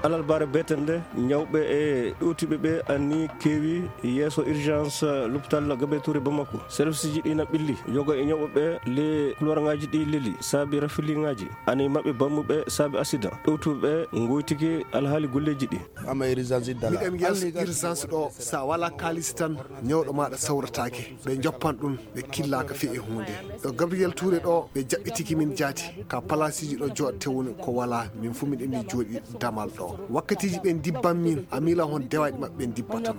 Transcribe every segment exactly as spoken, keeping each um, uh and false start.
Alarbaare beeten nde, ñawɓe e ɗowtiiɓe ɓe anni keewi yeeso urgence l'hôpital Gabriel Touré Bamako. Serviceji ɗi na ɓilli, yoga e ñawɓe ɓe le couloirŋaaji ɗi leli, saabi rafiliŋaaji. Ani maɓɓe bammuɓe saabi accident. Ɗowtuɓe ɓe ngoytiki alhaali golleeji ɗi. Miɗen yeeso urgence ɗo, sa wala kaalis tan, ñawɗo maɗa sawrataake. Ɓe joppan ɗum, ɓe killaaka fii e huunde. Ɗo Gabriel Touré ɗo, ɓe jaɓɓitiki min jaati. Ka palaasiji ɗo jooɗte woni ko wala, min fu miɗen ni jooɗi damal ɗo. Wakkatiiji ɓen dibban min, a miila hon dewaaɗi maɓɓe ɓen dibbatan.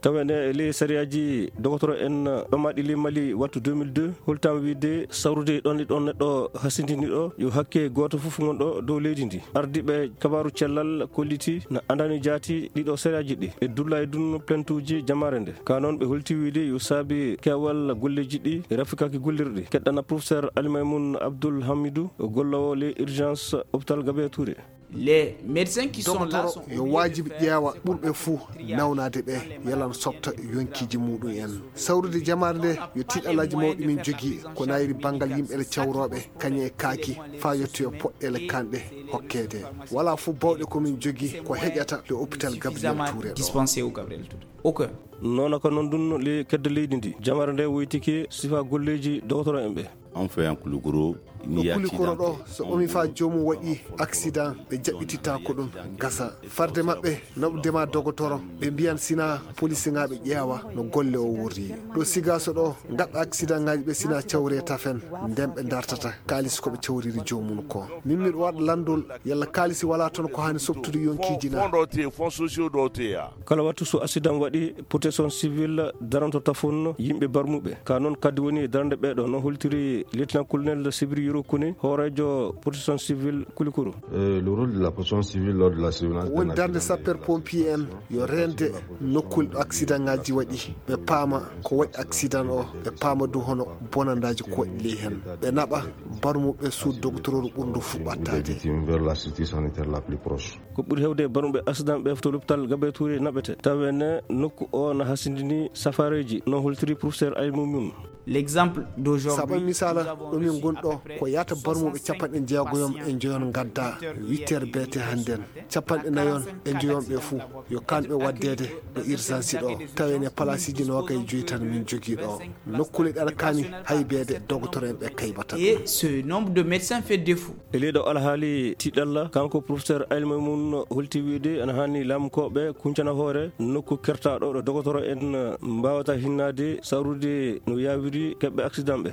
Tawa ne e ley sariyaaji dogotoro en ɗomaɗi ley Mali wattu deux mille deux, holtam wiide sawrude ɗon e ɗon neɗɗo hasindini ɗo, yo hakke gooto fof ngon ɗo dow leydi ndi. Ardiiɓe kabaaru cellal kolliti na andani jaati ɗiɗo sariyaaji ɗi. E dulla e dun plaintuuji jamaare nde. Ka noon ɓe holti wiide yo saabi keewal golleeji ɗi e rafikaaki gollirɗi. Keɗɗana professeur Ali Maymoun Abdoul Hamidou, gollowo ley urgence hôpital Gabriel Touré. Les médecins qui sont là sont yo waajibi ƴeewa ɓurɓe fuu nawnaade ɓe, yalan softa yonkiiji muɗum en. Sawrude jamaare nde yo tiiɗalaaji mawɗi min jogii, ko nayri banngal yimɓe le cawrooɓe, kañe e kaaki, faa yettoyo poɗɗeele kanɗe hokkeede. Wala fof bawɗe ko min jogii ko heƴata le hôpital Gabriel Touré ɗo. Dispenser au Gabriel Touré. Ok. Noona ko noon ɗum le kedde leydi ndi. Jamaare nde woytiki sifa golleeji dogotoro en ɓe. On fait un Koulikoro, ɗo Koulikoro ɗo, so omi faa joomum waɗi accident, ɓe jaɓɓititta ko ɗum gasa. Farde maɓɓe, naɓude ma dogotoro, ɓe mbiyan sina polisiŋaaɓe ƴeewa no golle o worri. Ɗo Sigaso ɗo, ngaɗɗa accidentŋaaji ɓe sina cawre tafen, nden ɓe dartata kaalis ko ɓe cawriri joomum ko. Min miɗo waɗa lanndol, yalla kaalisi wala toon ko haani softude yonkiiji na? Fonds ɗo te, fonds sociaux ɗo te ya. Kala wattu so accident waɗi, protection civile daranto tafon yimɓe barmuɓe. Ka noon kadi woni darande ɓeeɗo, no holtiri lieutenant colonel Sibiri Yoro Kone, hooreejo protection civile Kulikoro. Euh, le rôle de la protection civile lors de la surveillance des accidents. Woni darnde sapeur pompier en yo reende nokkuule ɗo accident ŋaaji waɗi, ɓe paama ko waɗi accident o, ɓe paama du hono bonandaaji ko waɗi ley heen. Ɓe naɓa barmuɓe suudu dogotoro ɓurndu fuɗɓattaade. Des victimes vers la structure sanitaire la plus proche. Ko ɓuri heewde barmuɓe accident ɓe to l'hôpital Gabriel Touré naɓete. Tawa ne nokku o na hasindini safareeji, no holtiri professeur Aymoun. L'exemple d'aujourd'hui, sabu misaala, ɗo min ngon ɗo, ko yaata barmuɓe capanɗe jeegoyom e njoyon ngadda huit heures B T hannden. Capanɗe nayon e njoyon ɓe fuu, yo kanɓe waddeede ɗo urgence ɗo. Tawa ne palaasiji noogay joyi tan min jogii ɗo. Nokkuule ɗe aɗa kaani haybeede dogotoro en ɓe kaybata. Et ce nombre de médecins fait défaut. E ley ɗo alhaali tiiɗalla, kanko professeur Aymoun holti wiide ana haani laamkooɓe kuncana hoore nokku kertaaɗo ɗo dogotoro en mbaawata hinnaade sawrude no yaawiri keɓɓe accident ɓe.